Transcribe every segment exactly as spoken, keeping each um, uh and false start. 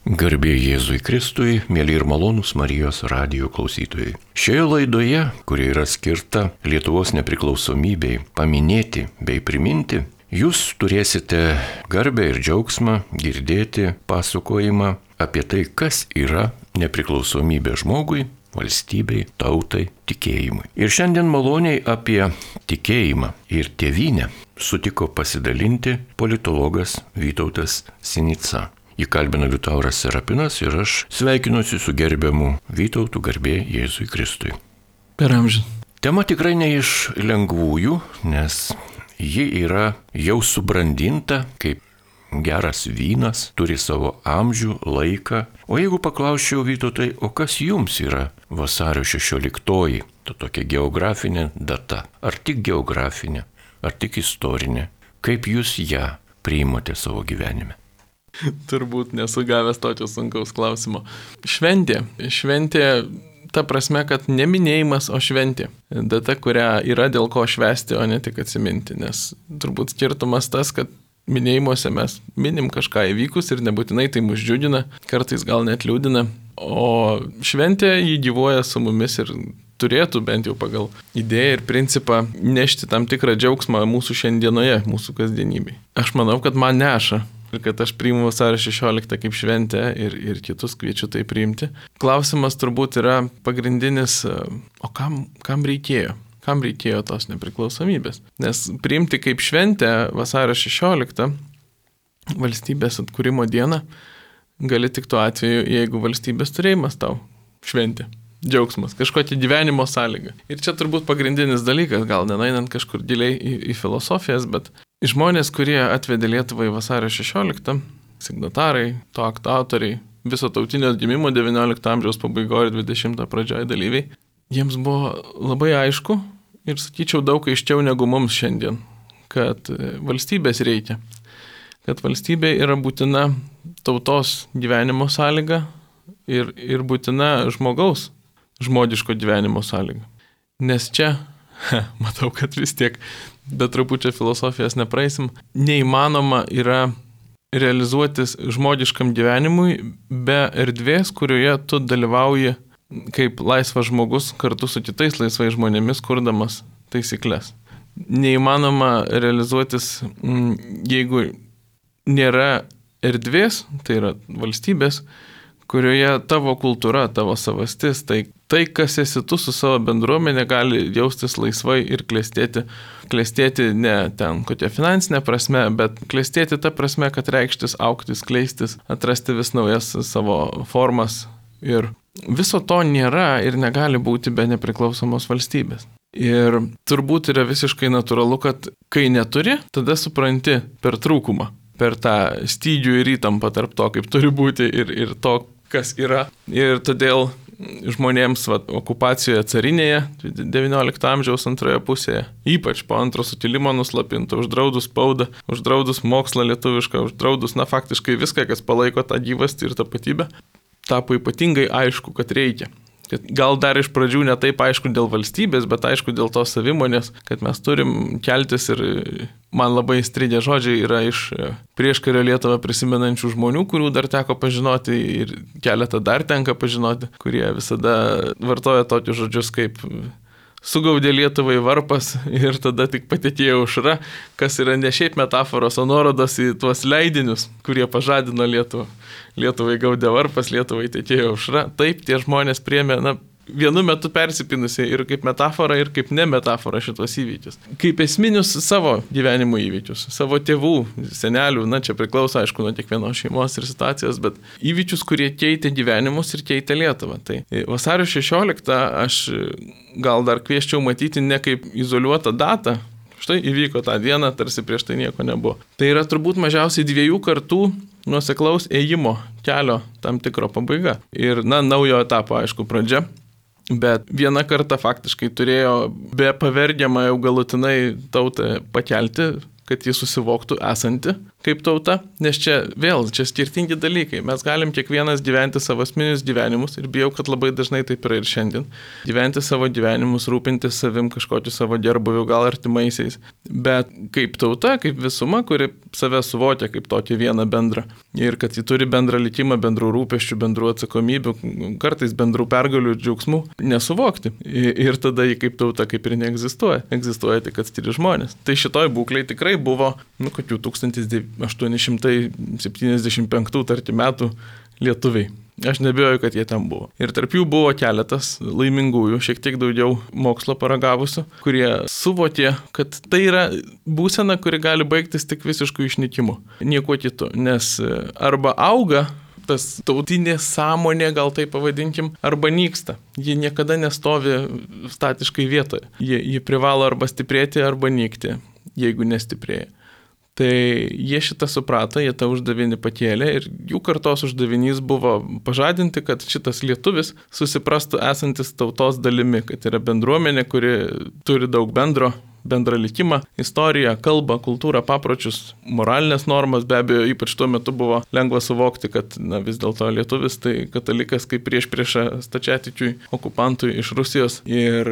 Garbė Jėzui Kristui, mėly ir malonūs Marijos radijo klausytojai. Šioje laidoje, kuri yra skirta Lietuvos nepriklausomybei paminėti bei priminti, jūs turėsite garbę ir džiaugsmą girdėti pasakojimą apie tai, kas yra nepriklausomybė žmogui, valstybei, tautai, tikėjimui. Ir šiandien maloniai apie tikėjimą ir tėvynę sutiko pasidalinti politologas Vytautas Sinica. Jį kalbina Liutauras Serapinas ir aš sveikinuosi su gerbiamu Vytautu, garbė Jėzui Kristui. Per amžių. Tema tikrai ne iš lengvųjų, nes ji yra jau subrandinta kaip geras vynas, turi savo amžių, laiką. O jeigu paklausčiau Vytautai, o kas jums yra vasario šešioliktoji, ta tokia geografinė data? Ar tik geografinė, ar tik istorinė? Kaip jūs ją priimate savo gyvenime? Turbūt nesu gavęs tokio sunkaus klausimo. Šventė. Šventė ta prasme, kad ne minėjimas, o šventė. Data, kurią yra dėl ko švęsti, o ne tik atsiminti. Nes turbūt skirtumas tas, kad minėjimuose mes minim kažką įvykus ir nebūtinai tai mus džiugina, kartais gal net liūdina. O šventė jį gyvuoja su mumis ir turėtų bent jau pagal idėją ir principą nešti tam tikrą džiaugsmą mūsų šiandienoje, mūsų kasdienybei. Aš manau, kad man neša. Ir kad aš priimu vasario šešioliktą kaip šventę ir, ir kitus kviečiu tai priimti. Klausimas turbūt yra pagrindinis, o kam, kam reikėjo? Kam reikėjo tos nepriklausomybės? Nes priimti kaip šventę vasario šešioliktą valstybės atkūrimo dieną gali tik tuo atveju, jeigu valstybės turėjimas tau šventė. Džiaugsmas, kažkokia gyvenimo sąlyga. Ir čia turbūt pagrindinis dalykas, gal nenainant kažkur giliai į, į filosofijas, bet žmonės, kurie atvedė Lietuvą į vasario šešioliktą, signatarai, to akto autoriai, viso tautinio atgimimo devyniolikto amžiaus pabaigoje ir dvidešimto pradžioje dalyviai, jiems buvo labai aišku ir sakyčiau daug aiškiau negu mums šiandien, kad valstybės reikia, kad valstybė yra būtina tautos gyvenimo sąlyga ir, ir būtina žmogaus žmogiško gyvenimo sąlyga. Nes čia, he, matau, kad vis tiek be trupučio filosofijos nepraeisim, neįmanoma yra realizuotis žmogiškam gyvenimui be erdvės, kurioje tu dalyvauji kaip laisvas žmogus kartu su kitais laisvais žmonėmis, kurdamas taisyklės. Neįmanoma realizuotis, jeigu nėra erdvės, tai yra valstybės, kurioje tavo kultūra, tavo savastis, tai, tai kas esi tu su savo bendruomenė, gali jaustis laisvai ir klestėti. Klestėti ne ten kokia finansinė prasme, bet klestėti ta prasme, kad reikštis, augtis, kleistis, atrasti vis naujas savo formas. Ir viso to nėra ir negali būti be nepriklausomos valstybės. Ir turbūt yra visiškai natūralu, kad kai neturi, tada supranti per trūkumą, per tą stygių ir įtampą tarp to, kaip turi būti ir, ir to, kas yra. Ir todėl žmonėms va, okupacijoje carinėje devyniolikto amžiaus antroje pusėje, ypač po antro sukilimo nuslapinto, uždraudus spaudą, uždraudus mokslą lietuvišką, uždraudus, na faktiškai viską, kas palaiko tą gyvastį ir tapatybę, tapo ypatingai aišku, kad reikia. Kad gal dar iš pradžių ne taip aišku dėl valstybės, bet aišku dėl tos savimonės, kad mes turim keltis ir man labai įstrigę žodžiai yra iš prieškario Lietuvą prisimenančių žmonių, kurių dar teko pažinoti ir keletą dar tenka pažinoti, kurie visada vartoja tokius žodžius kaip sugaudė Lietuvai varpas ir tada tik patekėjo aušra, kas yra ne šiaip metaforos, o nuorodos į tuos leidinius, kurie pažadino Lietuvą. Lietuvai gaudė varpas, Lietuvai tekėjo aušra. Taip tie žmonės priėmė, na, vienu metu persipinusiai ir kaip metafora, ir kaip ne metafora šitos įvykius. Kaip esminius savo gyvenimo įvykius, savo tėvų, senelių, na čia priklauso aišku nuo kiekvienos šeimos ir situacijos, bet įvykius, kurie keitė gyvenimus ir keitė Lietuvą. Tai vasario šešioliktą aš gal dar kvieščiau matyti ne kaip izoliuotą datą, štai įvyko tą dieną, tarsi prieš tai nieko nebuvo. Tai yra turbūt mažiausiai dviejų kartų nuoseklaus ėjimo kelio tam tikro pabaiga. Ir, na, naujo etapo, aišku, pradžia. Bet vieną kartą faktiškai turėjo be pavergiamą jau galutinai tautą pakelti, kad jis susivoktų esanti kaip tauta, nes čia vėl, čia skirtingi dalykai. Mes galim kiekvienas gyventi savo asmeninius gyvenimus ir bijau, kad labai dažnai taip yra ir šiandien. Gyventi savo gyvenimus, rūpintis savim kažkokiu savo gerbuviu, gal artimaisiais. Bet kaip tauta, kaip visuma, kuri save suvokia kaip tokį vieną bendrą. Ir kad ji turi bendrą likimą, bendrų rūpesčių, bendrų atsakomybių, kartais bendrų pergalių ir džiaugsmų, nesuvokti. Ir tada ji kaip tauta kaip ir neegzistuoja. Egzistuoja tik atskiri žmonės. Tai šitoj būklei tikrai buvo, nu, kokių tūkstantis aštuoni šimtai septyniasdešimt penktų tarkim metų lietuviai. Aš nebijoju, kad jie ten buvo. Ir tarp jų buvo keletas laimingųjų, šiek tiek daugiau mokslo paragavusių, kurie suvokė, kad tai yra būsena, kuri gali baigtis tik visišku išnykimu. Nieko kitu. Nes arba auga tas tautinė sąmonė, gal tai pavadinkim, arba nyksta. Ji niekada nestovi statiškai vietoje. Ji, ji privalo arba stiprėti, arba nykti, jeigu nestiprėja. Tai jie šitą suprato, jie tą uždavinį pakėlė ir jų kartos uždavinys buvo pažadinti, kad šitas lietuvis susiprastų esantis tautos dalimi, kad yra bendruomenė, kuri turi daug bendro, bendrą likimą, istoriją, kalbą, kultūrą, papročius, moralinės normas. Be abejo, ypač tuo metu buvo lengva suvokti, kad na, vis dėlto lietuvis tai katalikas kaip prieš priešą stačiatikiui, okupantui iš Rusijos ir,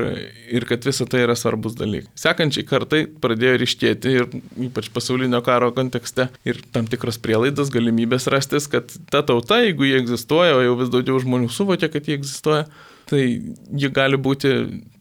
ir kad visa tai yra svarbus dalykai. Sekančiai kartai pradėjo ryškėti ir ypač pasaulinio karo kontekste ir tam tikros prielaidos, galimybės rastis, kad ta tauta, jeigu jie egzistuoja, o jau vis daugiau žmonių suvokia, kad jie egzistuoja, tai ji gali būti,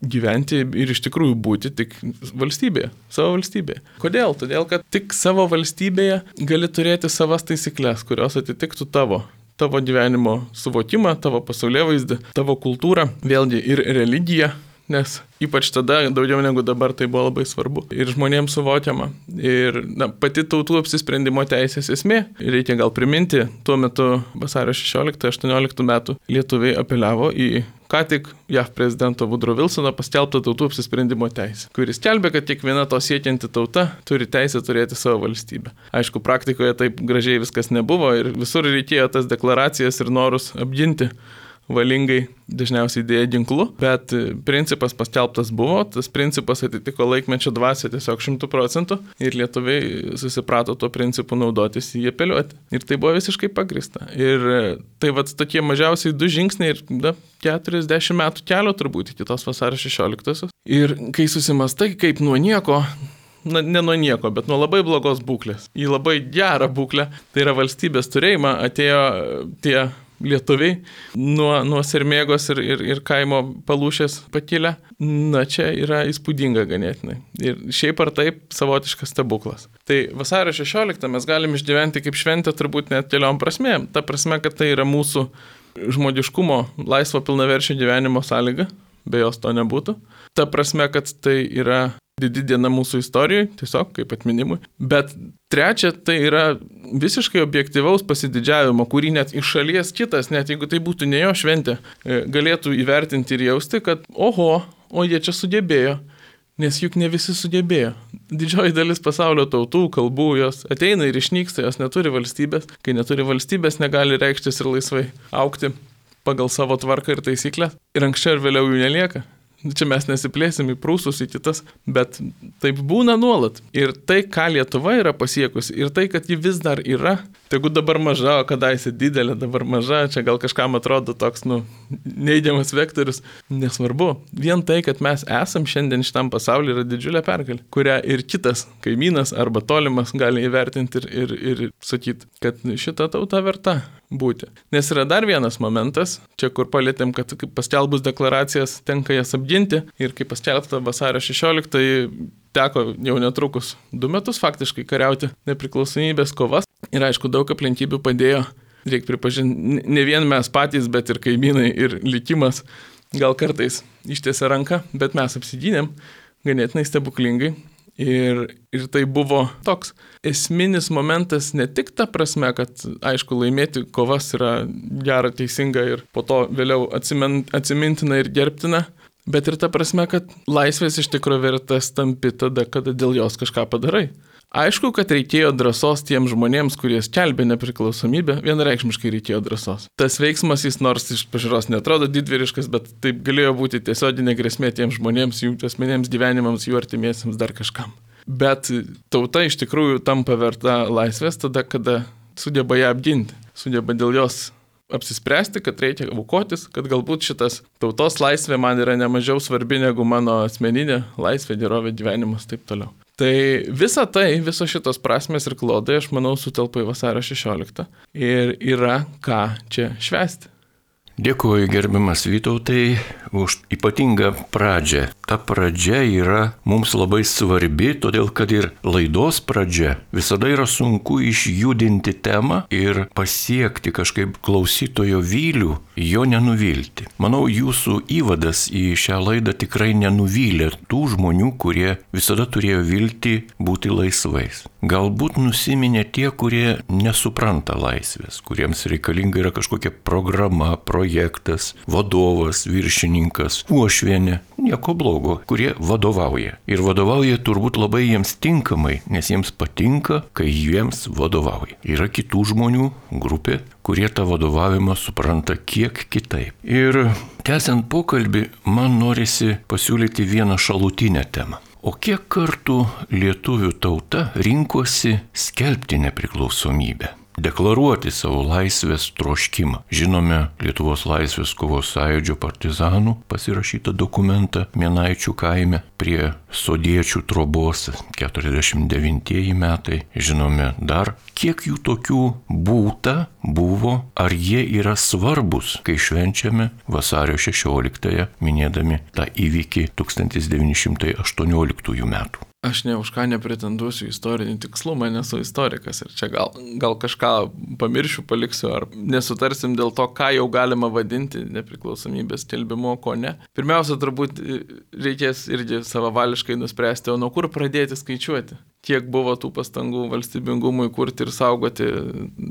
gyventi ir iš tikrųjų būti tik valstybėje, savo valstybėje. Kodėl? Todėl, kad tik savo valstybėje gali turėti savas taisyklės, kurios atitiktų tavo, tavo gyvenimo suvokimą, tavo pasaulėvaizdį, tavo kultūrą, vėlgi ir religiją. Nes ypač tada, daugiau negu dabar, tai buvo labai svarbu ir žmonėms suvokiama. Ir na, pati tautų apsisprendimo teisės esmė, reikia gal priminti, tuo metu vasario šešioliktą aštuonioliktą metų lietuviai apeliavo į ką tik J A V prezidento Woodrow Wilsono paskelbtą tautų apsisprendimo teisę, kuris skelbė, kad kiekviena to siekianti tauta turi teisę turėti savo valstybę. Aišku, praktikoje taip gražiai viskas nebuvo ir visur reikėjo tas deklaracijas ir norus apginti valingai, dažniausiai dėja ginklu, bet principas paskelbtas buvo, tas principas atitiko laikmečio dvasią tiesiog šimtų procentų ir lietuviai susiprato tuo principu naudotis į apeliuoti. Ir tai buvo visiškai pagrįsta. Ir tai vat tokie mažiausiai du žingsniai ir da, keturiasdešimt metų kelio turbūt iki tos vasario šešioliktosios. Ir kai susimastai, kaip nuo nieko, na, ne nuo nieko, bet nuo labai blogos būklės, į labai gerą būklę, tai yra valstybės turėjimą, atėjo tie lietuviai nuo, nuo sermėgos ir, ir, ir kaimo palūšės pakilę. Na, čia yra įspūdinga ganėtinai. Ir šiaip ar taip savotiškas stebuklas. Tai vasario šešioliktą mes galim išgyventi kaip šventę turbūt net keliom prasmėm. Ta prasme, kad tai yra mūsų žmogiškumo, laisvo pilnaverčio gyvenimo sąlyga, be jos to nebūtų. Ta prasme, kad tai yra didi diena mūsų istorijai, tiesiog kaip atminimui. Bet trečia, tai yra visiškai objektyvaus pasididžiavimo, kurį net iš šalies kitas, net jeigu tai būtų ne jo šventė, galėtų įvertinti ir jausti, kad oho, o jie čia sugebėjo. Nes juk ne visi sugebėjo. Didžioji dalis pasaulio tautų, kalbų, jos ateina ir išnyksta, jos neturi valstybės. Kai neturi valstybės, negali reikštis ir laisvai augti pagal savo tvarką ir taisyklę. Ir anksčiau ir vėliau jų nelieka. Čia mes nesiplėsim į prūsus, į kitas, bet taip būna nuolat. Ir tai, ką Lietuva yra pasiekusi, ir tai, kad ji vis dar yra, tegu dabar maža, o kadaise didelė, dabar maža, čia gal kažkam atrodo toks, nu, neigiamas vektorius, nesvarbu. Vien tai, kad mes esam šiandien šitam pasaulyje, yra didžiulė pergalė, kurią ir kitas kaimynas arba tolimas gali įvertinti ir, ir, ir sakyti, kad šita tauta verta būti. Nes yra dar vienas momentas, čia kur palėtėm, kad paskelbus deklaracijas tenka jas apginti ir kaip paskelbta vasario šešioliktą teko jau netrukus du metus faktiškai kariauti nepriklausomybės kovas ir aišku daug aplinkybių padėjo, reikia pripažinti, ne vien mes patys, bet ir kaimynai ir likimas gal kartais ištiesė ranką, bet mes apsigynėm ganėtinai stebuklingai. Ir, ir tai buvo toks esminis momentas ne tik ta prasme, kad aišku laimėti kovas yra gera, teisinga ir po to vėliau atsimin, atsimintina ir gerbtina, bet ir ta prasme, kad laisvės iš tikrųjų vertas tampi tada, kada dėl jos kažką padarai. Aišku, kad reikėjo drąsos tiems žmonėms, kurie skelbė nepriklausomybę, vienareikšmiškai reikėjo drąsos. Tas veiksmas jis nors iš pažiūros netrodo didvyriškas, bet taip galėjo būti tiesioginė grėsmė tiems žmonėms, jų asmeniniams gyvenimams, jų artimiesiems dar kažkam. Bet tauta iš tikrųjų tampa verta laisvės tada, kada sugeba ją apginti, sugeba dėl jos apsispręsti, kad reikia aukotis, kad galbūt šitas tautos laisvė man yra nemažiau svarbi negu mano asmeninė laisvė, gerovė, gyvenimas, taip toliau. Tai visa tai, visos šitos prasmės ir klodai, aš manau, sutelpa į vasario šešioliktą ir yra ką čia švęsti. Dėkuoju, gerbiamas Vytautai, už ypatingą pradžią. Ta pradžia yra mums labai svarbi, todėl kad ir laidos pradžia visada yra sunku išjudinti temą ir pasiekti kažkaip klausytojo vylių, jo nenuvilti. Manau, jūsų įvadas į šią laidą tikrai nenuvylė tų žmonių, kurie visada turėjo viltį būti laisvais. Galbūt nusiminė tie, kurie nesupranta laisvės, kuriems reikalinga yra kažkokia programa, projektas, vadovas, viršininkas, uošvienė, nieko blogo, kurie vadovauja. Ir vadovauja turbūt labai jiems tinkamai, nes jiems patinka, kai jiems vadovauja. Yra kitų žmonių grupė, kurie tą vadovavimą supranta kiek kitaip. Ir tęsiant pokalbį, man norisi pasiūlyti vieną šalutinę temą. O kiek kartų lietuvių tauta rinkosi skelbti nepriklausomybę, deklaruoti savo laisvės troškimą? Žinome Lietuvos laisvės kovos sąjūdžio partizanų pasirašytą dokumentą Minaičių kaime prie Sodiečių trobos, keturiasdešimt devintieji metai. Žinome dar, kiek jų tokių būta, buvo, ar jie yra svarbus, kai švenčiame vasario šešioliktąją, minėdami tą įvykį tūkstantis devyni šimtai aštuonioliktųjų metų. Aš ne už ką nepretenduosiu istorinį tikslumą, nesu istorikas ir čia gal, gal kažką pamiršiu, paliksiu ar nesutarsim dėl to, ką jau galima vadinti nepriklausomybės skelbimu, o ko ne. Pirmiausia, turbūt reikės irgi savavališkai nuspręsti, o nuo kur pradėti skaičiuoti. Kiek buvo tų pastangų valstybingumui kurti ir saugoti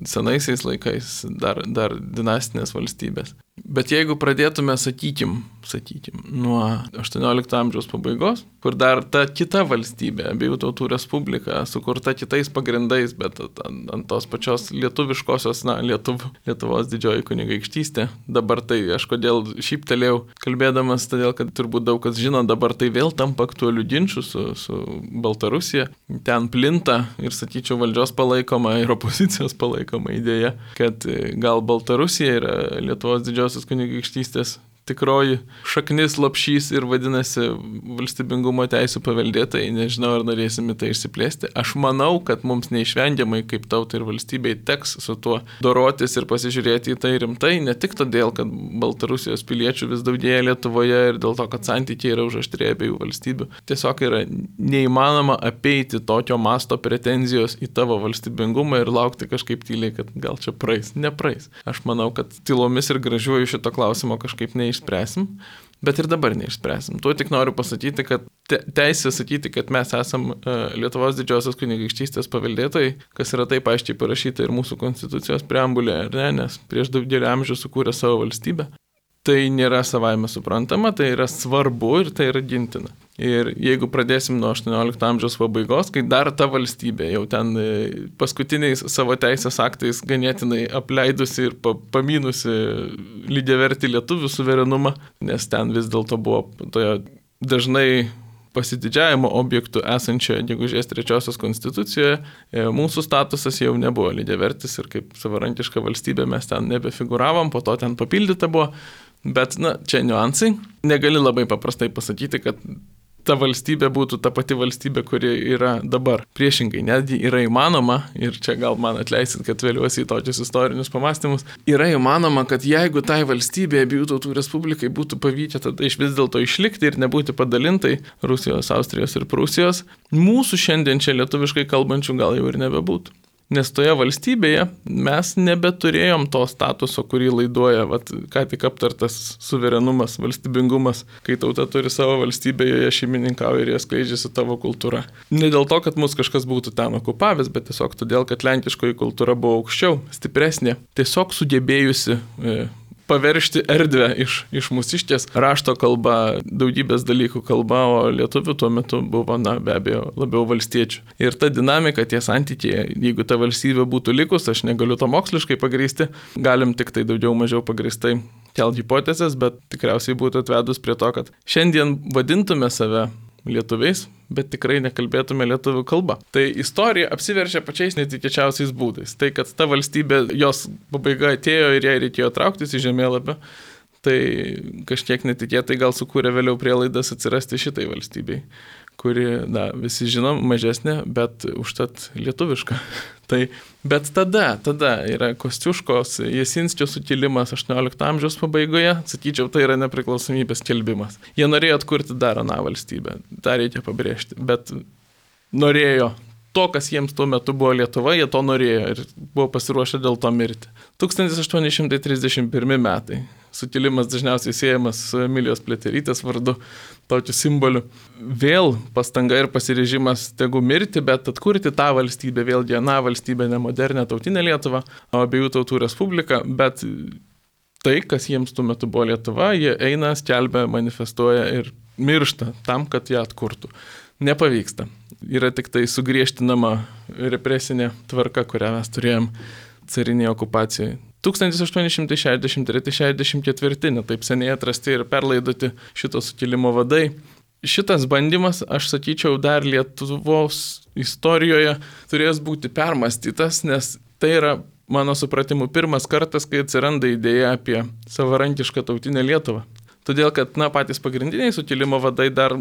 senaisiais laikais dar, dar dinastinės valstybės. Bet jeigu pradėtume, sakykim, sakykim, nuo aštuoniolikto amžiaus pabaigos, kur dar ta kita valstybė, abiejų tautų respublika, sukurta kitais pagrindais, bet ant, ant tos pačios lietuviškosios, na, Lietuv, Lietuvos didžioji kunigaikštystė, dabar tai aš kodėl šyptelėjau kalbėdamas, todėl kad turbūt daug kas žino, dabar tai vėl tampa aktualių ginčių su, su Baltarusija. Ten plinta ir, sakyčiau, valdžios palaikoma ir opozicijos palaikoma idėja, kad gal Baltarusija yra Lietuvos didžiosios kunigaikštystės tikroji šaknis, lopšys ir vadinasi valstybingumo teisų paveldėtojai. Nežinau, ar norėsime tai išsiplėsti. Aš manau, kad mums neišvengiamai kaip tautai ir valstybei teks su tuo dorotis ir pasižiūrėti į tai rimtai, ne tik todėl, kad Baltarusijos piliečių vis daugėja Lietuvoje ir dėl to, kad santykiai yra užaštrėję abiejų valstybių. Tiesiog yra neįmanoma apeiti tokio masto pretenzijos į tavo valstybingumą ir laukti kažkaip tyliai, kad gal čia praeis. Nepraeis. Aš manau, kad tylomis ir gražiuoju šito klausimo kažkaip neišspręsim. Išspręsim, bet ir dabar neišspręsim. Tuo tik noriu pasakyti, kad te, teisė sakyti, kad mes esam uh, Lietuvos didžiosios kunigaikštystės paveldėtojai, kas yra taip aiškiai parašyta ir mūsų konstitucijos preambulėje, ar ne, nes prieš daugelį amžių sukūrė savo valstybę. Tai nėra savaime suprantama, tai yra svarbu ir tai yra gintina. Ir jeigu pradėsim nuo aštuoniolikto amžiaus pabaigos, kai dar ta valstybė jau ten paskutiniais savo teisės aktais ganėtinai apleidusi ir pamynusi lygiavertį lietuvių suverenumą, nes ten vis dėlto buvo toje dažnai pasididžiavimo objektų esančioje gegužės trečiosios konstitucijoje, mūsų statusas jau nebuvo lygiavertis ir kaip savarankiška valstybė mes ten nebefiguravom, po to ten papildyta buvo. Bet, na, čia niuansai. Negali labai paprastai pasakyti, kad ta valstybė būtų ta pati valstybė, kuri yra dabar. Priešingai, netgi yra įmanoma, ir čia gal man atleisit, kad vėliuosi į tokius istorinius pamastymus, yra įmanoma, kad jeigu tai valstybė abiejų tautų respublikai būtų pavykę tada iš vis dėlto išlikti ir nebūti padalintai Rusijos, Austrijos ir Prūsijos, mūsų šiandien čia lietuviškai kalbančių gal jau ir nebebūtų. Nes toje valstybėje mes nebeturėjom to statuso, kurį laiduoja, vat, ką tik aptartas suverenumas, valstybingumas, kai tauta turi savo valstybę, joje šeimininkauja ir jie skleidžiasi tavo kultūra. Ne dėl to, kad mus kažkas būtų ten okupavęs, bet tiesiog todėl, kad lenkiškoji kultūra buvo aukščiau, stipresnė, tiesiog sugebėjusi e, paveršti erdvę iš, iš mūsiškės rašto kalba, daugybės dalykų kalba, o lietuvių tuo metu buvo, na, be abejo, labiau valstiečių. Ir ta dinamika, tie santykiai, jeigu ta valstybė būtų likus, aš negaliu to moksliškai pagrįsti, galim tik tai daugiau mažiau pagrįstai kelti hipotezės, bet tikriausiai būtų atvedus prie to, kad šiandien vadintume save lietuviais, bet tikrai nekalbėtume lietuvių kalba. Tai istorija apsiverčia pačiais netikėčiausiais būdais. Tai, kad ta valstybė, jos pabaiga atėjo ir jai reikėjo trauktis į žemėlapį, tai kažkiek netikėtai gal sukūrė vėliau prielaidas atsirasti šitai valstybei, kuri, na, visi žinom, mažesnė, bet užtat lietuviška. Tai, bet tada, tada yra Kostiuškos, Jasinskio sukilimas aštuoniolikto amžiaus pabaigoje, sakyčiau, tai yra nepriklausomybės skelbimas. Jie norėjo atkurti dar aną valstybę, tą reikia pabrėžti, bet norėjo to, kas jiems tuo metu buvo Lietuva, jie to norėjo ir buvo pasiruošę dėl to mirti. tūkstantis aštuoni šimtai trisdešimt pirmi metai. Sukilimas dažniausiai siejamas su Emilijos Pliaterytės vardu, tokiu simboliu. Vėl pastanga ir pasiryžimas tegu mirti, bet atkurti tą valstybę, vėlgi aną valstybę, ne modernę tautinę Lietuvą, o abiejų tautų respubliką, bet tai, kas jiems tuo metu buvo Lietuva, jie eina, skelbia, manifestuoja ir miršta tam, kad ją atkurtų. Nepavyksta. Yra tik tai sugriežtinama represinė tvarka, kurią mes turėjom carinėje okupacijoje. tūkstantis aštuoni šimtai šešiasdešimt treti šešiasdešimt ketvirti, ne taip seniai atrasti ir perlaidoti šito sukilimo vadai. Šitas bandymas, aš sakyčiau, dar Lietuvos istorijoje turės būti permastytas, nes tai yra, mano supratimu, pirmas kartas, kai atsiranda idėja apie savarankišką tautinę Lietuvą. Todėl, kad, na, patys pagrindiniai sukilimo vadai dar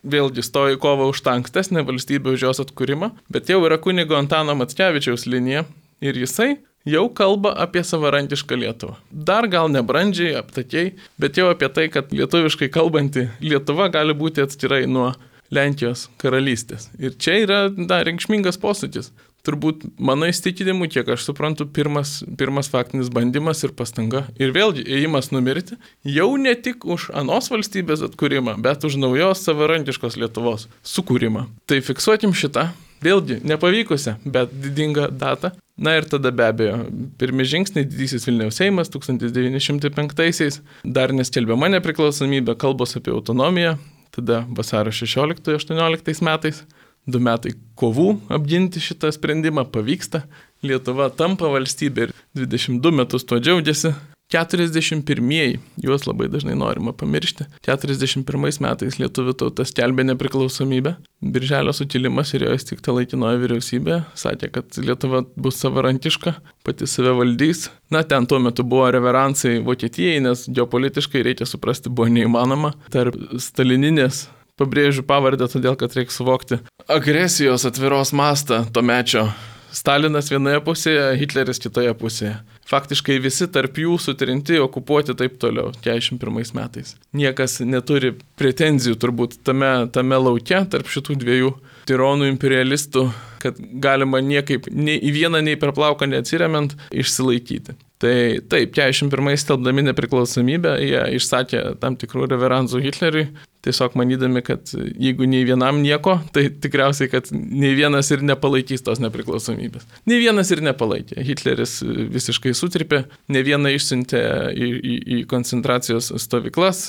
vėlgi stojo į kovą už tą ankstesnę valstybę, už jos atkūrimą, bet jau yra kunigo Antano Mackevičiaus linija ir jisai jau kalba apie savarankišką Lietuvą. Dar gal nebrandžiai, aptakiai, bet jau apie tai, kad lietuviškai kalbanti Lietuva gali būti atskirai nuo Lenkijos karalystės. Ir čia yra, na, reikšmingas posūkis. Turbūt mano įsitikinimu, kiek aš suprantu, pirmas, pirmas faktinis bandymas ir pastanga. Ir vėlgi, ėjimas numirti jau ne tik už anos valstybės atkūrimą, bet už naujos savarankiškos Lietuvos sukūrimą. Tai fiksuokim šitą, vėlgi, nepavykusią, bet didingą datą. Na ir tada be abejo, pirmi žingsniai, didysis Vilniaus Seimas tūkstantis devyni šimtai penktaisiais, dar neskelbiama nepriklausomybė, kalbos apie autonomiją, tada vasario šešioliktojo aštuonioliktais metais. Du metai kovų apginti šitą sprendimą pavyksta. Lietuva tampa valstybė ir dvidešimt du metus tuo džiaugiasi. keturiasdešimt pirmieji, juos labai dažnai norima pamiršti. keturiasdešimt pirmais metais lietuvių tauta skelbė nepriklausomybę. Birželio sukilimas ir jo įsteigta laikinoji vyriausybė sakė, kad Lietuva bus savarankiška, pati save valdys. Na, ten tuo metu buvo reveransai Vokietijai, nes geopolitiškai, reikia suprasti, buvo neįmanoma. Tarp stalininės, pabrėžiu pavardę, todėl kad reikia suvokti agresijos atviros mastą to mečio. Stalinas vienoje pusėje, Hitleris kitoje pusėje. Faktiškai visi tarp jų sutrinti, okupuoti taip toliau, keturiasdešimt pirmais metais. Niekas neturi pretenzijų turbūt tame, tame lauke tarp šitų dviejų tironų imperialistų, kad galima niekaip nei į vieną, nei per plauką neatsiremiant išsilaikyti. Tai taip, keturiasdešimt pirmais skelbdami nepriklausomybę, jie išsakė tam tikrų reveransų Hitleriui, tiesiog manydami, kad jeigu nei vienam nieko, tai tikriausiai, kad nei vienas ir nepalaikys tos nepriklausomybės. Nei vienas ir nepalaikė. Hitleris visiškai sutripė, ne vieną išsiuntė į, į, į koncentracijos stovyklas,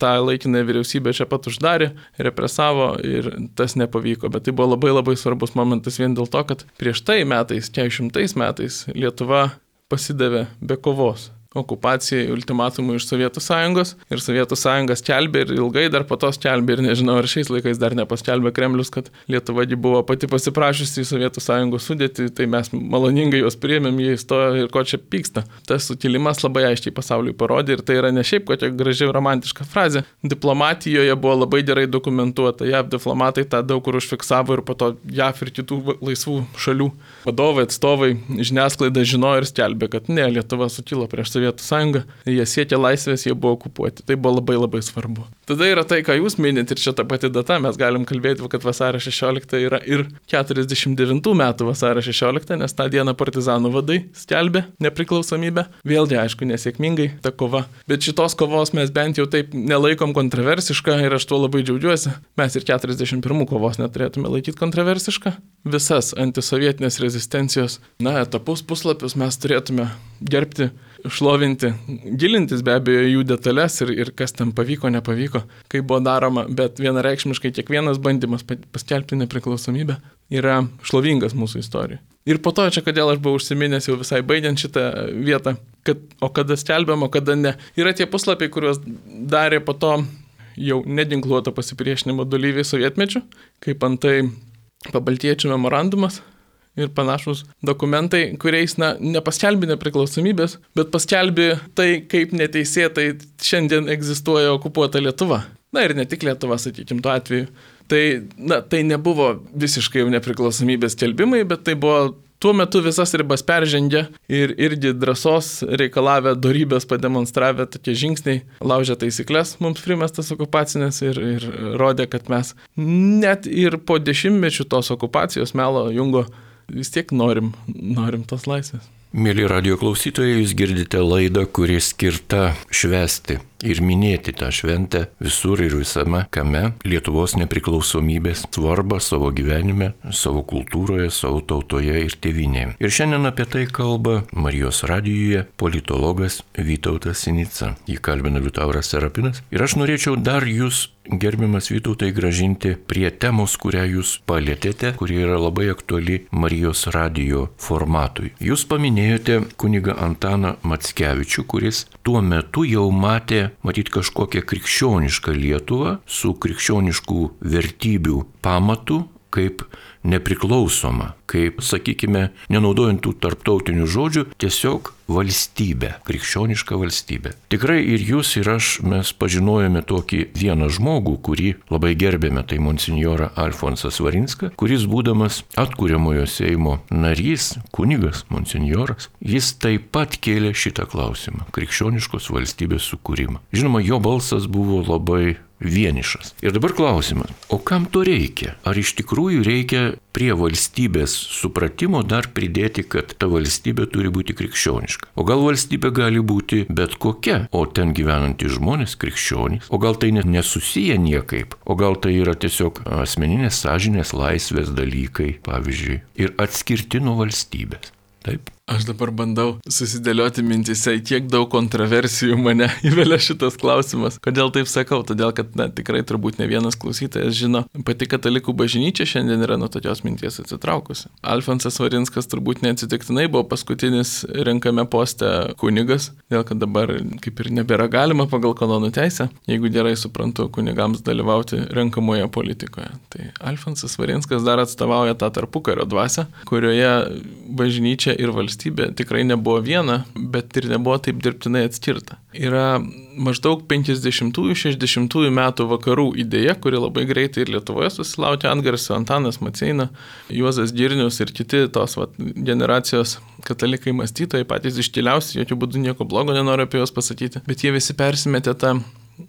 tą laikinę vyriausybę čia pat uždarė, represavo ir tas nepavyko. Bet tai buvo labai labai svarbus momentas vien dėl to, kad prieš tai metais, keturiasdešimtais metais, Lietuva pasidavė be kovos okupacijai, ultimatumui iš Sovietų Sąjungos ir Sovietų Sąjungas skelbė ir ilgai dar po to skelbė ir nežinau, ar šiais laikais dar nepaskelbė Kremlius, kad Lietuva buvo pati pasiprašusi į Sovietų Sąjungos sudėtį, tai mes maloningai juos priėmėm, jie įstojo ir ko čia pyksta. Tas sukilimas labai aiškiai pasauliui parodė ir tai yra ne šiaip kokia graži romantiška frazė. Diplomatijoje buvo labai gerai dokumentuota, J A V diplomatai tą daug kur užfiksavo ir po to J A V ir kitų laisvų šalių vadovai, atstovai, žiniasklaida žinojo ir skelbė, kad ne, Lietuva sukilo prieš Sovietų Sąjungą, jie siekė laisvės, jie buvo okupuoti. Tai buvo labai labai svarbu. Tada yra tai, ką jūs minit ir čia ta pati data, mes galim kalbėti, kad vasario šešiolikta yra ir keturiasdešimt devintų metų vasario šešiolikta, nes tą dieną partizanų vadai skelbė nepriklausomybę. Vėlgi, aišku, nesėkmingai ta kova. Bet šitos kovos mes bent jau taip nelaikom kontroversišką ir aš tuo labai džiaugiuosi. Mes ir keturiasdešimt pirmų kovos neturėtume laikyti kontroversišką. Visas antisovietinės rezistencijos, na, etapus, puslapius mes turėtume gerbti, šlovinti, gilintis be abejo jų detalės ir, ir kas tam pavyko, nepavyko, kaip buvo daroma, bet vienareikšmiškai kiekvienas bandymas paskelbti nepriklausomybę yra šlovingas mūsų istorijoje. Ir po to, čia kodėl aš buvau užsiminęs jau visai baigiant šitą vietą, kad o kada skelbiam, o kada ne. Yra tie puslapiai, kuriuos darė po to jau nedinkluoto pasipriešinimo dalyviai sovietmečiu, kaip antai Pabaltijiečių memorandumas ir panašus dokumentai, kuriais na, nepaskelbė nepriklausomybės, bet paskelbė tai, kaip neteisėtai šiandien egzistuoja okupuota Lietuva. Na ir ne tik Lietuva, sakykim, tuo atveju. Tai, na, tai nebuvo visiškai jau nepriklausomybės skelbimai, bet tai buvo tuo metu visas ribas peržengę ir irgi drąsos reikalavę, dorybės pademonstravę tokie žingsniai, laužė taisyklės mums primestas okupacinės ir, ir rodė, kad mes net ir po dešimtmečių tos okupacijos melo jungo vis tiek norim, norim tos laisvės. Mėly radijo klausytojai, jūs girdite laidą, kuri skirta švęsti ir minėti tą šventę visur ir visame kame Lietuvos nepriklausomybės svarbą savo gyvenime, savo kultūroje, savo tautoje ir tėvynėje. Ir šiandien apie tai kalba Marijos radijuje politologas Vytautas Sinica. Jį kalbina Liutauras Serapinas. Ir aš norėčiau dar jūs, gerbiamas Vytautai, grąžinti prie temos, kurią jūs palėtėte, kuri yra labai aktuali Marijos radijo formatui. Jūs paminėjote kunigą Antaną Mackevičių, kuris tuo metu jau matė matyt kažkokią krikščionišką Lietuvą su krikščioniškų vertybių pamatu kaip nepriklausoma, kaip, sakykime, nenaudojant tų tarptautinių žodžių, tiesiog valstybė, krikščioniška valstybė. Tikrai ir jūs ir aš mes pažinojome tokį vieną žmogų, kurį labai gerbėme, tai monsinjorą Alfonsą Svarinską, kuris būdamas atkuriamojo Seimo narys, kunigas, monsinjoras, jis taip pat kėlė šitą klausimą, krikščioniškos valstybės sukūrimą. Žinoma, jo balsas buvo labai vienišas. Ir dabar klausimas, o kam to reikia? Ar iš tikrųjų reikia prie valstybės supratimo dar pridėti, kad ta valstybė turi būti krikščioniška? O gal valstybė gali būti bet kokia, o ten gyvenantys žmonės krikščionys? O gal tai net nesusiję niekaip? O gal tai yra tiesiog asmeninės sąžinės laisvės dalykai, pavyzdžiui, ir atskirti nuo valstybės? Taip. Aš dabar bandau susidėlioti mintise, kiek daug kontroversijų mane įvelia šitas klausimas. Kodėl taip sakau? Todėl, kad na, tikrai turbūt ne vienas klausytojas žino, pati katalikų bažnyčia šiandien yra nuo tokios minties atsitraukusi. Alfonsas Svarinskas turbūt neatsitiktinai buvo paskutinis renkame poste kunigas, dėl kad dabar kaip ir nebėra galima pagal kanonų teisę, jeigu gerai suprantu, kunigams dalyvauti renkamoje politikoje. Tai Alfonsas Svarinskas dar atstovauja tą tarpukario dvasią, kurioje bažnyčia ir valstybė Valstybė tikrai nebuvo viena, bet ir nebuvo taip dirbtinai atskirta. Yra maždaug penkiasdešimtųjų šešiasdešimtųjų metų vakarų idėja, kuri labai greitai ir Lietuvoje susilaukė antgarsio. Antanas Maceina, Juozas Girnius ir kiti tos vat, generacijos katalikai mąstytojai, patys iškiliausi, jokių būdų nieko blogo nenoriu apie juos pasakyti, bet jie visi persimetė tą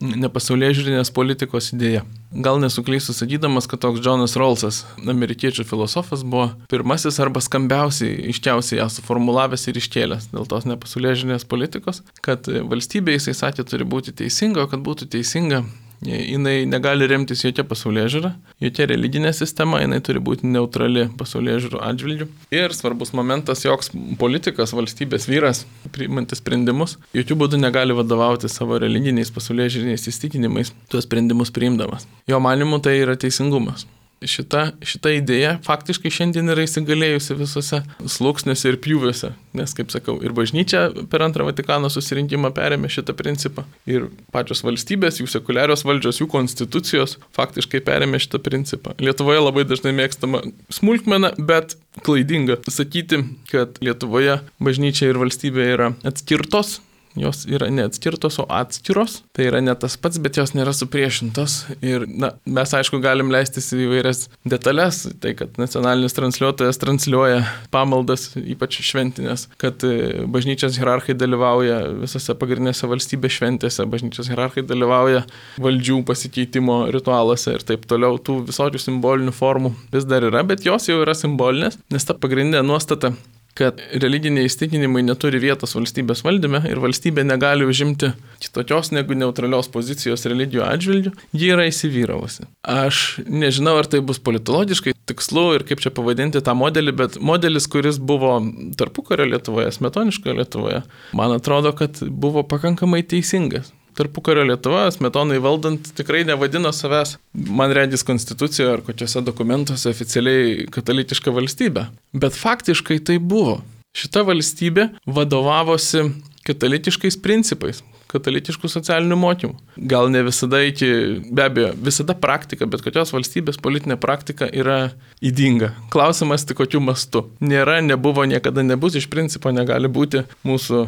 nepasaulėžiūrinės politikos idėja. Gal nesuklysiu sakydamas, kad toks Džonas Rawlsas, amerikiečių filosofas, buvo pirmasis arba skambiausiai, iškiausiai ją suformulavęs ir iškėlęs dėl tos nepasaulėžiūrinės politikos, kad valstybė, jisai sakė, turi būti teisinga, o kad būtų teisinga, jinai negali remtis jokia pasaulėžiūra, jokia religinė sistema, jinai turi būti neutrali pasaulėžiūrų atžvilgių. Ir svarbus momentas, joks politikas, valstybės vyras, priimantis sprendimus, jokių būdų negali vadovauti savo religiniais pasaulėžiūriniais įsitikinimais, tuos sprendimus priimdamas. Jo manimu tai yra teisingumas. Šita, šita idėja faktiškai šiandien yra įsigalėjusi visose sluoksniuose ir pjūviuose, nes, kaip sakau, ir bažnyčia per antrą Vatikano susirinkimą perėmė šitą principą, ir pačios valstybės, jų sekuliarios valdžios, jų konstitucijos faktiškai perėmė šitą principą. Lietuvoje labai dažnai mėgstama smulkmena, bet klaidinga sakyti, kad Lietuvoje bažnyčia ir valstybė yra atskirtos. Jos yra neatskirtos, o atskiros. Tai yra ne tas pats, bet jos nėra supriešintos. Ir na, mes, aišku, galim leistis į įvairias detalės. Tai, kad nacionalinis transliuotojas transliuoja pamaldas, ypač šventinės, kad bažnyčios hierarchai dalyvauja visose pagrindinėse valstybės šventėse, bažnyčios hierarchai dalyvauja valdžių pasikeitimo ritualuose ir taip toliau. Tų visokių simbolinių formų vis dar yra, bet jos jau yra simbolinės, nes ta pagrindinė nuostata, kad religiniai įsitikinimai neturi vietos valstybės valdyme ir valstybė negali užimti kitokios negu neutralios pozicijos religijų atžvilgių, ji yra įsivyravusi. Aš nežinau, ar tai bus politologiškai tikslu ir kaip čia pavadinti tą modelį, bet modelis, kuris buvo tarpukario Lietuvoje, smetoniškoje Lietuvoje, man atrodo, kad buvo pakankamai teisingas. Tarpukario Lietuva, Smetonai valdant, tikrai nevadino savęs, man regis, konstitucijoje ar kokiuose dokumentuose oficialiai katalikiška valstybė. Bet faktiškai tai buvo. Šita valstybė vadovavosi katalikiškais principais, katalikiškų socialinių mokymų. Gal ne visada iki, be abejo, visada praktika, bet kokios valstybės politinė praktika yra ydinga. Klausimas tik kokiu mastu. Nėra, nebuvo, niekada nebus, iš principo negali būti mūsų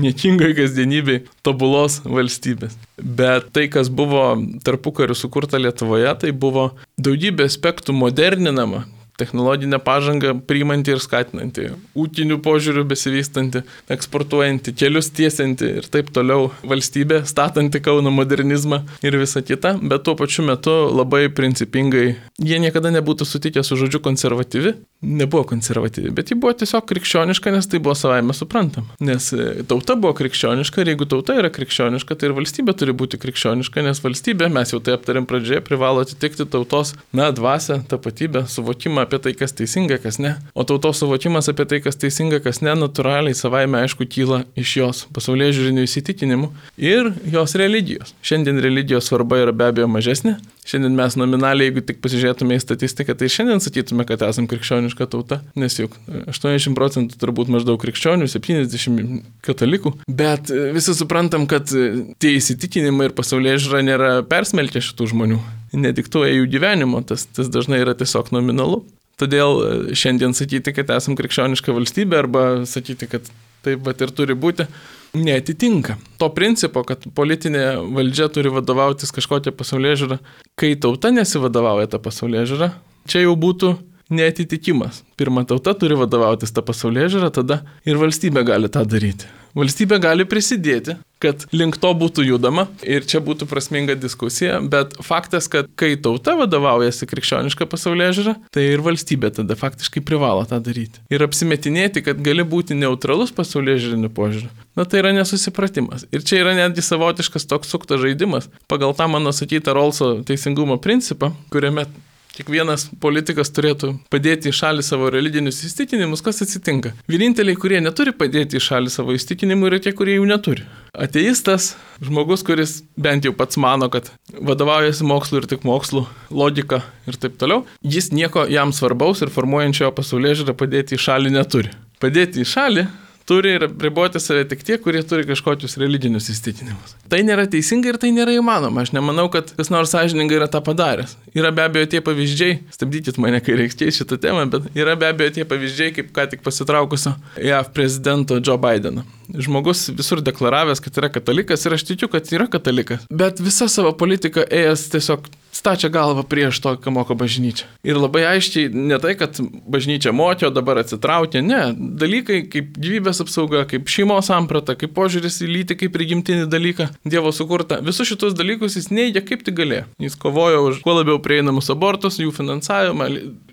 niekingai kasdienybei tobulos valstybės. Bet tai, kas buvo tarpukariu sukurta Lietuvoje, tai buvo daugybė aspektų moderninama, technologinę pažangą priimanti ir skatinanti, ūkinių požiūrių besivystanti, eksportuojanti, kelius tiesinti ir taip toliau valstybė, statanti Kauno modernizmą ir visa kita, bet tuo pačiu metu labai principingai, jie niekada nebūtų sutikę su žodžiu konservatyvi, nebuvo konservatyvi, bet ji buvo tiesiog krikščioniška, nes tai buvo savaime suprantama. Nes tauta buvo krikščioniška ir jeigu tauta yra krikščioniška, tai ir valstybė turi būti krikščioniška, nes valstybė, mes jau tai aptarėm pradžioje, privalo atitikti tautos, na, dvasią, tapatybę, suvokimą apie tai, kas teisinga, kas ne. O tautos suvokimas apie tai, kas teisinga, kas ne, natūraliai savaime aišku kyla iš jos pasaulėžiūrinių įsitikinimų ir jos religijos. Šiandien religijos svarba yra be abejo mažesnė. Šiandien mes nominaliai, jeigu tik pasižiūrėtume į statistiką, tai šiandien sakytume, kad esam krikščioniška tauta, nes juk aštuoniasdešimt procentų turbūt maždaug krikščionių, septyniasdešimt katalikų, bet visi suprantam, kad tie įsitikinimai ir pasaulėžiūra nėra persmelkę šitų žmonių, nediktuoja jų gyvenimo, tas, tas dažnai yra tiesiog nominalu. Todėl šiandien sakyti, kad esam krikščioniška valstybė arba sakyti, kad taip pat ir turi būti, neatitinka to principo, kad politinė valdžia turi vadovautis kažkokią pasaulėžiūrą, kai tauta nesivadovauja tą pasaulėžiūrą, čia jau būtų neatitikimas. Pirma, tauta turi vadovautis tą pasaulėžiūrą, tada ir valstybė gali tą daryti. Valstybė gali prisidėti, kad link to būtų judama ir čia būtų prasminga diskusija, bet faktas, kad kai tauta vadovaujasi krikščioniška pasaulėžiūra, tai ir valstybė tada faktiškai privalo tą daryti. Ir apsimetinėti, kad gali būti neutralus pasaulėžiūriniu požiūriu, na tai yra nesusipratimas. Ir čia yra netgi savotiškas toks suktas žaidimas pagal tą mano sakytą Rolso teisingumo principą, kuriame kiekvienas politikas turėtų padėti į šalį savo religinius įsitikinimus, kas atsitinka. Vieninteliai, kurie neturi padėti į šalį savo įsitikinimų, yra tie, kurie jų neturi. Ateistas, žmogus, kuris bent jau pats mano, kad vadovaujasi mokslu ir tik mokslu, logika ir taip toliau, jis nieko jam svarbaus ir formuojančio pasaulėžiūrą padėti į šalį neturi. Padėti į šalį turi ir apriboti save tik tie, kurie turi kažkokius religinius įsitikinimus. Tai nėra teisinga ir tai nėra įmanoma. Aš nemanau, kad kas nors sąžiningai yra tą padaręs. Yra be abejo tie pavyzdžiai, stabdykit mane, kai reiks keisti šitą temą, bet yra be abejo tie pavyzdžiai, kaip ką tik pasitraukusio J A V prezidento Joe Bideno. Žmogus visur deklaravęs, kad yra katalikas ir aš tikiu, kad yra katalikas. Bet visą savo politiką ėjęs tiesiog stačia galvą prieš to, ką moko bažnyčia. Ir labai aiškiai ne tai, kad bažnyčia mokė, o dabar atsitraukė. Ne, dalykai kaip gyvybės apsauga, kaip šeimos samprata, kaip požiūris į lytį, kaip prigimtinį dalyką Dievo sukurta. Visus šitus dalykus jis neigia kaip tik galėjo. Jis kovojo už kuo labiau prieinamus abortus, jų finansavimą.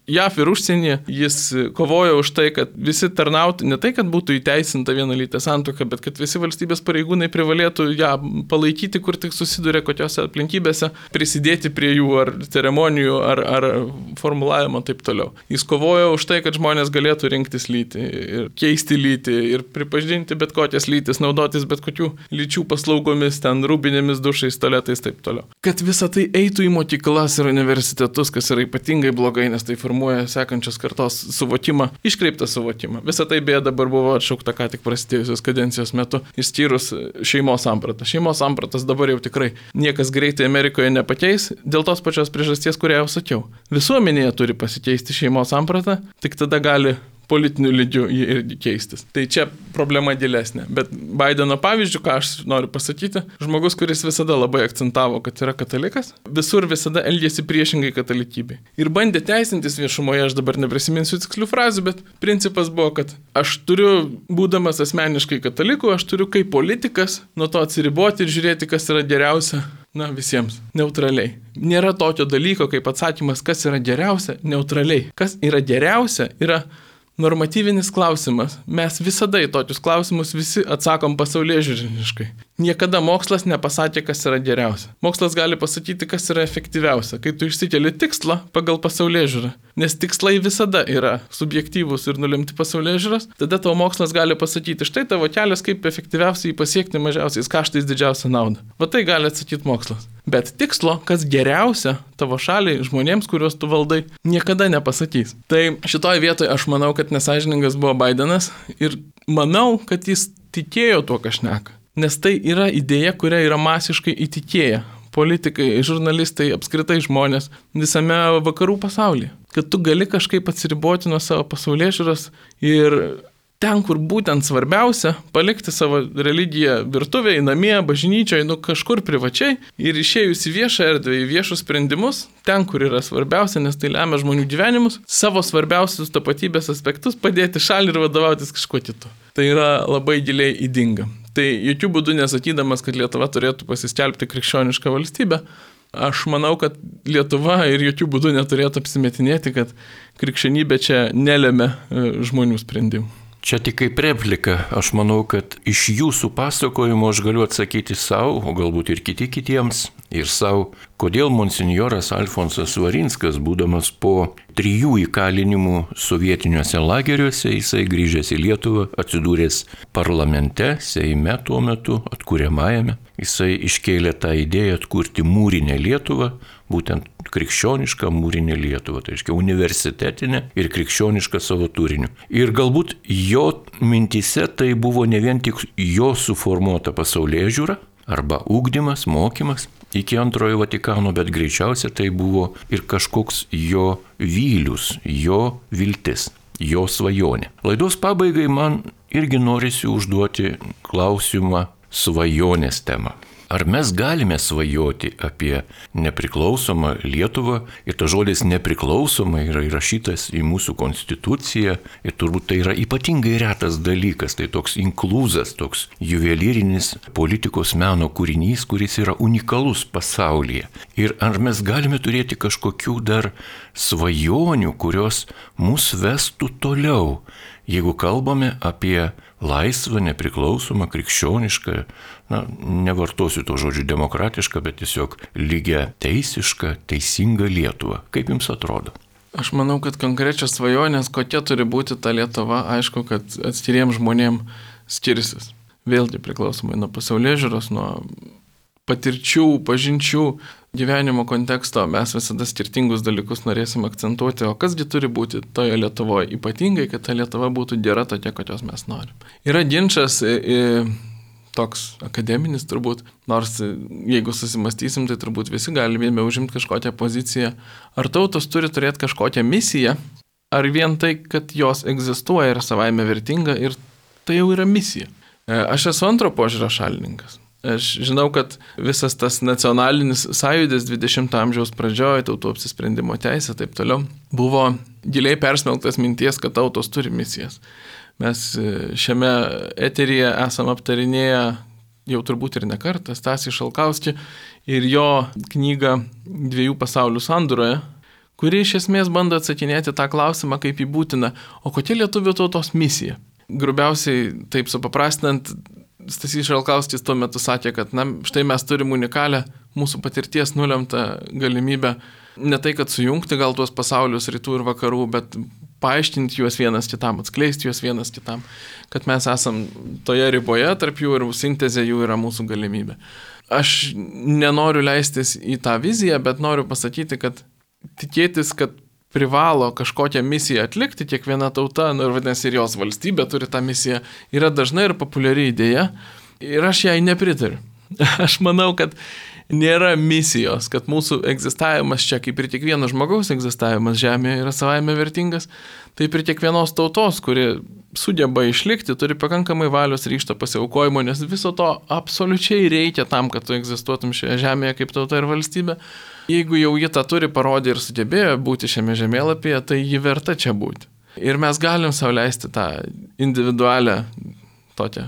J A V ir užsienyje jis kovojo už tai, kad visi tarnautų, ne tai, kad būtų įteisinta vienalytė santuoka, bet kad visi valstybės pareigūnai privalėtų ją palaikyti, kur tik susiduria kokiose aplinkybėse, prisidėti prie jų ar ceremonijų, ar, ar formulavimo taip toliau. Jis kovojo už tai, kad žmonės galėtų rinktis lytį ir keisti lytį ir pripažinti bet kokias lytis, naudotis bet kokių lyčių paslaugomis, ten rūbinėmis, dušais, tualetais taip toliau. Kad visa tai eitų į mokyklas ir universitetus, kas yra ypatingai blogai, nes tai formuoja sekančios kartos suvokimą, iškreiptą suvokimą. Visą tai beje dabar buvo atšaukta ką tik prasidėjusios kadencijos metu, išskyrus šeimos sampratą. Šeimos sampratas dabar jau tikrai niekas greitai Amerikoje nepakeis, dėl tos pačios priežasties, kurią jau sakiau. Visuomenėje turi pasikeisti šeimos sampratą, tik tada gali politiniu lygiu jį irgi keistis. Tai čia problema gilesnė. Bet Bideno pavyzdžių, ką aš noriu pasakyti, žmogus, kuris visada labai akcentavo, kad yra katalikas, visur visada elgėsi priešingai katalikybei. Ir bandė teisintis viešumoje, aš dabar neprisiminsiu tikslių frazių, bet principas buvo, kad aš turiu, būdamas asmeniškai kataliku, aš turiu kaip politikas nuo to atsiriboti ir žiūrėti, kas yra geriausia. Na, visiems. Neutraliai. Nėra tokio dalyko, kaip atsakymas, kas yra geriausia, neutraliai. Kas yra geriausia, yra normatyvinis klausimas. Mes visada į tokius klausimus visi atsakom pasaulėžiūriniškai. Niekada mokslas nepasakė, kas yra geriausia. Mokslas gali pasakyti, kas yra efektyviausia, kai tu išsikeli tikslą pagal pasaulėžiūrą. Nes tikslai visada yra subjektyvūs ir nulemti pasaulėžiūros. Tada tavo mokslas gali pasakyti, štai tavo kelias, kaip efektyviausiai pasiekti mažiausiais kaštais didžiausią naudą. Va tai gali atsakyti mokslas. Bet tikslo, kas geriausia tavo šaliai, žmonėms, kuriuos tu valdai, niekada nepasakys. Tai šitoje vietoje aš manau, kad nesąžiningas buvo Bidenas ir manau, kad jis tikėjo tuo, ką šneka. Nes tai yra idėja, kuria yra masiškai įtikėję politikai, žurnalistai, apskritai žmonės visame vakarų pasaulyje. Kad tu gali kažkaip atsiriboti nuo savo pasaulėžiūros ir ten, kur būtent svarbiausia, palikti savo religiją virtuvėje, namie, bažnyčioje, nu kažkur privačiai ir išėjus į viešą erdvę, į viešus sprendimus, ten, kur yra svarbiausia, nes tai lemia žmonių gyvenimus, savo svarbiausius tapatybės aspektus padėti šalį ir vadovautis kažkuo kitu. Tai yra labai giliai įdinga. Tai jokių būdų nesakydamas, kad Lietuva turėtų pasiskelbti krikščionišką valstybę, aš manau, kad Lietuva ir jokių būdų neturėtų apsimetinėti, kad krikščionybė čia nelemia žmonių sprendimų. Čia tik kaip replika, aš manau, kad iš jūsų pasakojimo aš galiu atsakyti savo, o galbūt ir kiti kitiems, ir savo, kodėl monsinjoras Alfonsas Svarinskas, būdamas po trijų įkalinimų sovietiniuose lageriuose, jisai grįžęs į Lietuvą, atsidūręs parlamente, Seime tuo metu, atkuriamajame, jisai iškėlė tą idėją atkurti mūrinę Lietuvą, būtent krikščionišką mūrinę Lietuvą, tai reiškia universitetinę ir krikščionišką savo turiniu. Ir galbūt jo mintise tai buvo ne vien tik jo suformuota pasaulėžiūra, arba ugdymas, mokymas iki antrojo Vatikano, bet greičiausia tai buvo ir kažkoks jo vylius, jo viltis, jo svajonė. Laidos pabaigai man irgi norisi užduoti klausimą svajonės temą. Ar mes galime svajoti apie nepriklausomą Lietuvą? Ir tas žodis nepriklausoma yra įrašytas į mūsų konstituciją ir turbūt tai yra ypatingai retas dalykas, tai toks inkluzas, toks juvelyrinis politikos meno kūrinys, kuris yra unikalus pasaulyje. Ir ar mes galime turėti kažkokių dar svajonių, kurios mus vestų toliau, jeigu kalbame apie laisvą, nepriklausomą, krikščionišką, na, nevartosiu to žodžių demokratišką, bet tiesiog lygia teisišką, teisingą Lietuvą. Kaip jums atrodo? Aš manau, kad konkrečios svajonės, kokia turi būti ta Lietuva, aišku, kad atskiriems žmonėms skirsis. Vėlgi priklausomai nuo pasaulėžiūros, nuo patirčių, pažinčių, gyvenimo konteksto, mes visada skirtingus dalykus norėsim akcentuoti, o kasgi turi būti toje Lietuvoje, ypatingai, kad ta Lietuva būtų gera tokia, kokios mes norim. Yra ginčas toks akademinis turbūt, nors jeigu susimastysim, tai turbūt visi galime užimti kažkokią poziciją. Ar tautos turi turėti kažkokią misiją, ar vien tai, kad jos egzistuoja ir savaime vertinga ir tai jau yra misija. Aš esu antro požiūrio šalininkas. Aš žinau, kad visas tas nacionalinis sąjūdis dvidešimto amžiaus pradžioje, tautų apsisprendimo teisė, taip toliau, buvo giliai persmelktas minties, kad tautos turi misijas. Mes šiame eteryje esam aptarinėję jau turbūt ir ne kartą Stasį Šalkauskį ir jo knygą Dviejų pasaulių sandūroje, kuri iš esmės bando atsakinėti tą klausimą, kaip jį būtina, o kokia lietuvių tautos misija. Grubiausiai, taip supaprastinant, Stasys Šalkauskis tuo metu sakė, kad na, štai mes turim unikalią mūsų patirties nulemtą galimybę ne tai, kad sujungti gal tuos pasaulius rytų ir vakarų, bet paaiškinti juos vienas kitam, atskleisti juos vienas kitam, kad mes esam toje riboje tarp jų ir sintezė jų yra mūsų galimybė. Aš nenoriu leistis į tą viziją, bet noriu pasakyti, kad tikėtis, kad privalo kažkokią misiją atlikti, kiekviena tauta, nu ir vadinasi ir jos valstybė turi tą misiją, yra dažnai ir populiari idėja ir aš jai nepritariu. Aš manau, kad nėra misijos, kad mūsų egzistavimas čia, kaip ir kiekvieno žmogaus egzistavimas Žemėje yra savaime vertingas, taip ir kiekvienos tautos, kuri sugeba išlikti, turi pakankamai valios ryžto pasiaukojimo, nes viso to absoliučiai reikia tam, kad tu egzistuotum šioje Žemėje kaip tauta ir valstybė. Jeigu jau ji tą turi parodė ir sugebėjo būti šiame žemėlapyje, tai ji verta čia būti. Ir mes galim sau leisti tą individualią, tokią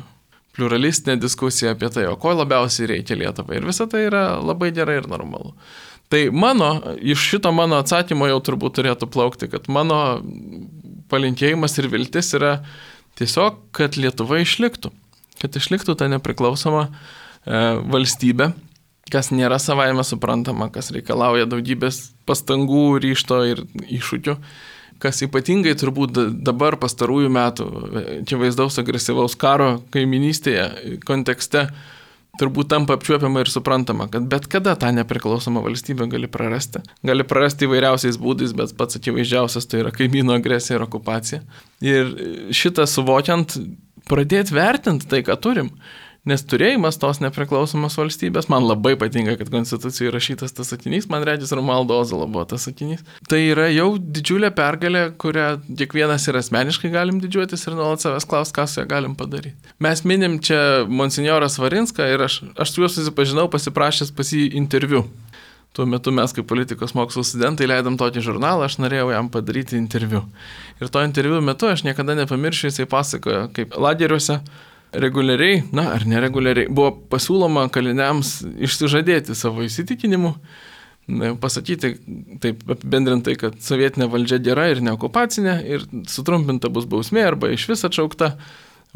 pluralistinę diskusiją apie tai, o ko labiausiai reikia Lietuvai. Ir visa tai yra labai gerai ir normalu. Tai mano, iš šito mano atsakymo jau turbūt turėtų plaukti, kad mano palinkėjimas ir viltis yra tiesiog, kad Lietuva išliktų. Kad išliktų ta nepriklausoma valstybę, kas nėra savaime suprantama, kas reikalauja daugybės pastangų, ryžto ir iššūkių, kas ypatingai turbūt dabar pastarųjų metų, čia vaizdaus agresyvaus karo kaiminystėje kontekste, turbūt tampa apčiuopiama ir suprantama, kad bet kada tą nepriklausomą valstybę gali prarasti. Gali prarasti įvairiausiais būdais, bet pats akivaizdžiausias tai yra kaimyno agresija ir okupacija. Ir šitą suvokiant, pradėti vertinti tai, ką turim. Nes turėjimas tos nepriklausomos valstybės, man labai patinka, kad Konstitucijoje rašytas tas sakinys, man regis Romualdo Ozolo buvo tas sakinys. Tai yra jau didžiulė pergalė, kurią kiekvienas ir asmeniškai galim didžiuotis ir nuolat savęs klaus, ką su ją galim padaryti. Mes minim čia monsinjorą Svarinską ir aš, aš su juo susipažinau pasiprašęs pas jį interviu. Tuo metu mes kaip politikos mokslų studentai leidom tokį žurnalą, aš norėjau jam padaryti interviu. Ir to interviu metu aš niekada nepamiršiu, jisai pasakojo, kaip lageriuose reguliariai, na ar nereguliariai, buvo pasiūloma kaliniams išsižadėti savo įsitikinimų, pasakyti taip apibendrintai, kad sovietinė valdžia gera ir neokupacinė ir sutrumpinta bus bausmė arba iš vis atšaukta,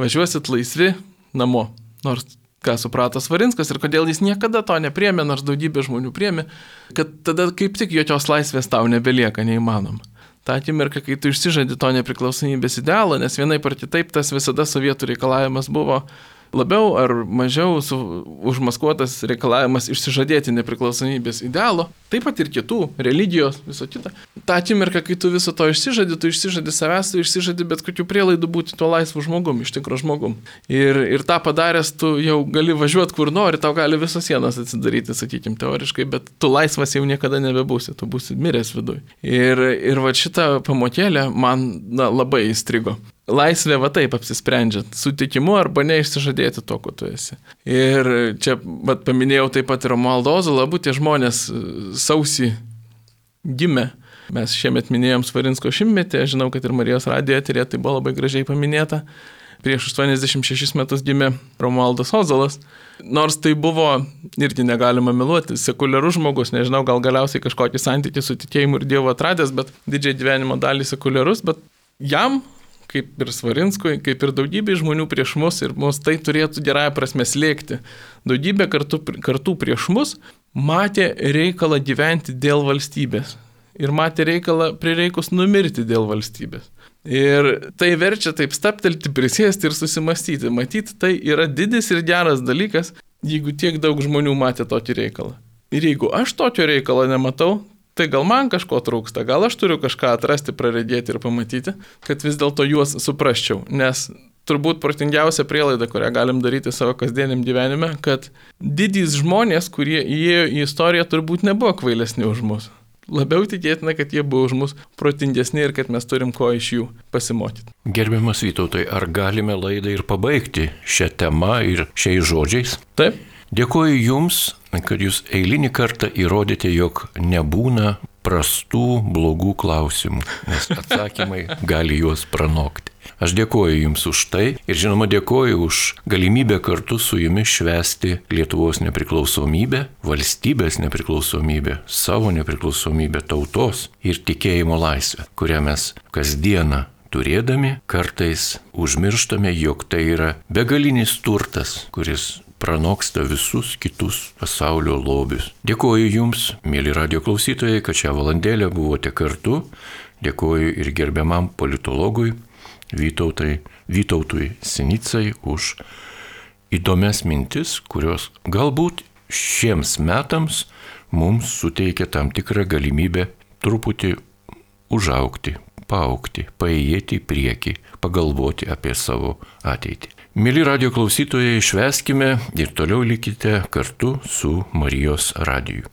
važiuosit laisvi namo. Nors ką suprato Svarinskas ir kodėl jis niekada to nepriėmė, nors daugybė žmonių priėmė, kad tada kaip tik jokios laisvės tau nebelieka neįmanoma. Ta akimirka, kai tu išsižadi to nepriklausomybės idealo, nes vienaip ar kitaip tas visada sovietų reikalavimas buvo labiau ar mažiau su, užmaskuotas reikalavimas išsižadėti nepriklausomybės idealo, taip pat ir kitų, religijos, viso kita. Ta akimirka, kai tu viso to išsižadi, tu išsižadi savęs, tu išsižadi bet kokių prielaidų būti tuo laisvu žmogum, iš tikro žmogum. Ir, ir tą padaręs, tu jau gali važiuoti kur nori, tau gali visos sienos atsidaryti, sakykim, teoriškai, bet tu laisvas jau niekada nebebūsi, tu būsi miręs viduj. Ir, ir va šitą pamokėlę man na, labai įstrigo. Laisvė va taip apsisprendžia, sutikimu arba neišsižadėti to, ko tu esi. Ir čia va, paminėjau taip pat ir Romualdo Ozolą, abu tie žmonės sausį gimė. Mes šiemet minėjom Svarinsko šimtmetį, aš žinau, kad ir Marijos radijo eteryje tai buvo labai gražiai paminėta. Prieš aštuoniasdešimt šešis metus gimė Romualdas Ozolas. Nors tai buvo, irgi negalima meluoti, sekuliarus žmogus, nežinau, gal galiausiai kažkokį santykį su tikėjimu ir Dievu atradęs, bet didžiai gyvenimo dalį sekuliarus, bet jam, kaip ir Svarinskui, kaip ir daugybė žmonių prieš mus ir mus tai turėtų gerąją prasme slėgti. Daugybė kartų, kartų prieš mus matė reikalą gyventi dėl valstybės ir matė reikalą prireikus numirti dėl valstybės. Ir tai verčia taip staptelti, prisėsti ir susimastyti. Matyti, tai yra didis ir geras dalykas, jeigu tiek daug žmonių matė tokį reikalą. Ir jeigu aš tokio reikalo nematau, tai gal man kažko trūksta, gal aš turiu kažką atrasti, praregėti ir pamatyti, kad vis dėlto juos suprasčiau. Nes turbūt protingiausia prielaida, kurią galim daryti savo kasdieniam gyvenime, kad didys žmonės, kurie įėjo į istoriją, turbūt nebuvo kvailesni už mus. Labiau tikėtina, kad jie buvo už mus protingesni ir kad mes turim ko iš jų pasimokyti. Gerbiamas Vytautai, ar galime laidą ir pabaigti šią temą ir šiais žodžiais? Taip. Dėkuoju Jums, kad Jūs eilinį kartą įrodėte, jog nebūna prastų, blogų klausimų, nes atsakymai gali juos pranokti. Aš dėkuoju Jums už tai ir žinoma dėkuoju už galimybę kartu su Jumis švęsti Lietuvos nepriklausomybę, valstybės nepriklausomybę, savo nepriklausomybę, tautos ir tikėjimo laisvę, kurią mes kasdieną turėdami kartais užmirštame, jog tai yra begalinis turtas, kuris pranoksta visus kitus pasaulio lobius. Dėkuoju Jums, mėly radio klausytojai, kad šią valandėlę buvote kartu. Dėkuoju ir gerbiamam politologui Vytautai, Vytautui Sinicai už įdomias mintis, kurios galbūt šiems metams mums suteikia tam tikrą galimybę truputį užaugti, paaugti, paėjėti į priekį, pagalvoti apie savo ateitį. Mėly radio klausytojai, švęskime ir toliau likite kartu su Marijos radiju.